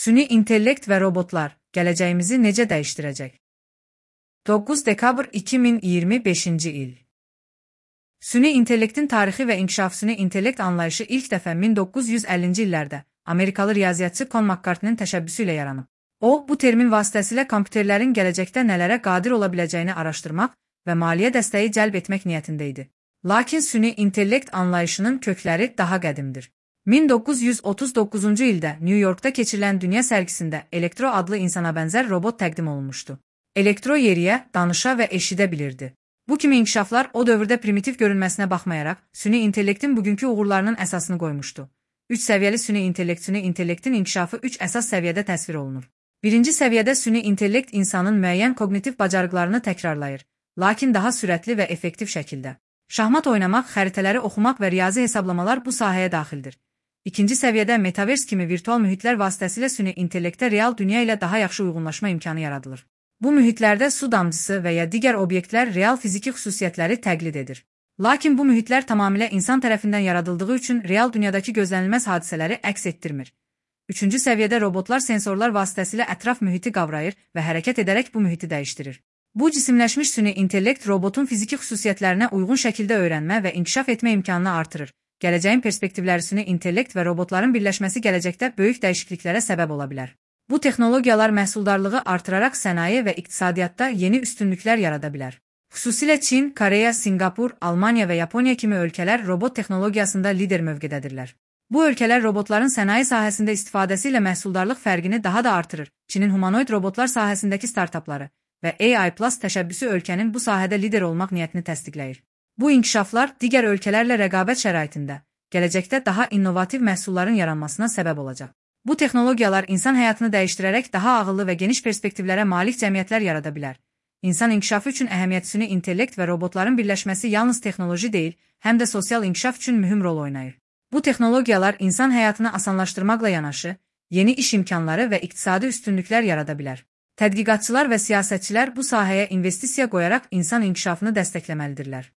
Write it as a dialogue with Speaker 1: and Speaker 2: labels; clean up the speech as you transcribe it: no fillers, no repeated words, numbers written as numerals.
Speaker 1: Süni intellekt və robotlar gələcəyimizi necə dəyişdirəcək? 9 dekabr 2025-ci il. Süni intellektin tarixi və inkişafı. Süni intellekt anlayışı ilk dəfə 1950-ci illərdə Amerikalı riyaziyyatçı Con McCarthy'nin təşəbbüsü ilə yaranıb. O, bu termin vasitəsilə kompüterlərin gələcəkdə nələrə qadir ola biləcəyini araşdırmaq və maliyyə dəstəyi cəlb etmək niyyətində idi. Lakin süni intellekt anlayışının kökləri daha qədimdir. 1939-cu ildə New Yorkda keçirilən dünya sərgisində Elektro adlı insana bənzər robot təqdim olunmuşdu. Elektro yeriyə, danışa və eşidə bilirdi. Bu kimi inkişaflar o dövrdə primitiv görünməsinə baxmayaraq, süni intellektin bugünkü uğurlarının əsasını qoymuşdu. 3 səviyyəli süni intellektin inkişafı 3 əsas səviyyədə təsvir olunur. Birinci səviyyədə süni intellekt insanın müəyyən kognitiv bacarıqlarını təkrarlayır, lakin daha sürətli və effektiv şəkildə. Şahmat oynamaq, xəritələri oxumaq və riyazi hesablamalar bu sahəyə daxildir. İkinci səviyyədə Metaverse kimi virtual mühitlər vasitəsilə süni intellektə real dünya ilə daha yaxşı uyğunlaşma imkanı yaradılır. Bu mühitlərdə su damcısı və ya digər obyektlər real fiziki xüsusiyyətləri təqlid edir. Lakin bu mühitlər tamamilə insan tərəfindən yaradıldığı üçün real dünyadakı gözlənilməz hadisələri əks etdirmir. Üçüncü səviyyədə robotlar sensorlar vasitəsilə ətraf mühiti qavrayır və hərəkət edərək bu mühiti dəyişdirir. Bu cisimləşmiş süni intellekt robotun fiziki xüsusiyyətlərinə uyğun şəkildə öyrənmə və inkişaf etmə imkanını artırır. Gələcəyin perspektivləri süni intellekt və robotların birləşməsi gələcəkdə böyük dəyişikliklərə səbəb ola bilər. Bu texnologiyalar məhsuldarlığı artıraraq sənaye və iqtisadiyyatda yeni üstünlüklər yarada bilər. Xüsusilə Çin, Koreya, Singapur, Almaniya və Yaponiya kimi ölkələr robot texnologiyasında lider mövqedədirlər. Bu ölkələr robotların sənaye sahəsində istifadəsi ilə məhsuldarlıq fərqini daha da artırır. Çinin humanoid robotlar sahəsindəki startapları və AI Plus təşəbbüsü ölkənin bu sahədə lider olmaq niyyətini təsdiqləyir. Bu inkişaflar digər ölkələrlə rəqabət şəraitində gələcəkdə daha innovativ məhsulların yaranmasına səbəb olacaq. Bu texnologiyalar insan həyatını dəyişdirərək daha ağıllı və geniş perspektivlərə malik cəmiyyətlər yarada bilər. İnsan inkişafı üçün əhəmiyyətli süni intellekt və robotların birləşməsi yalnız texnoloji deyil, həm də sosial inkişaf üçün mühüm rol oynayır. Bu texnologiyalar insan həyatını asanlaşdırmaqla yanaşı, yeni iş imkanları və iqtisadi üstünlüklər yarada bilər. Tədqiqatçılar və siyasətçilər bu sahəyə investisiya qoyaraq insan inkişafını dəstəkləməlidirlər.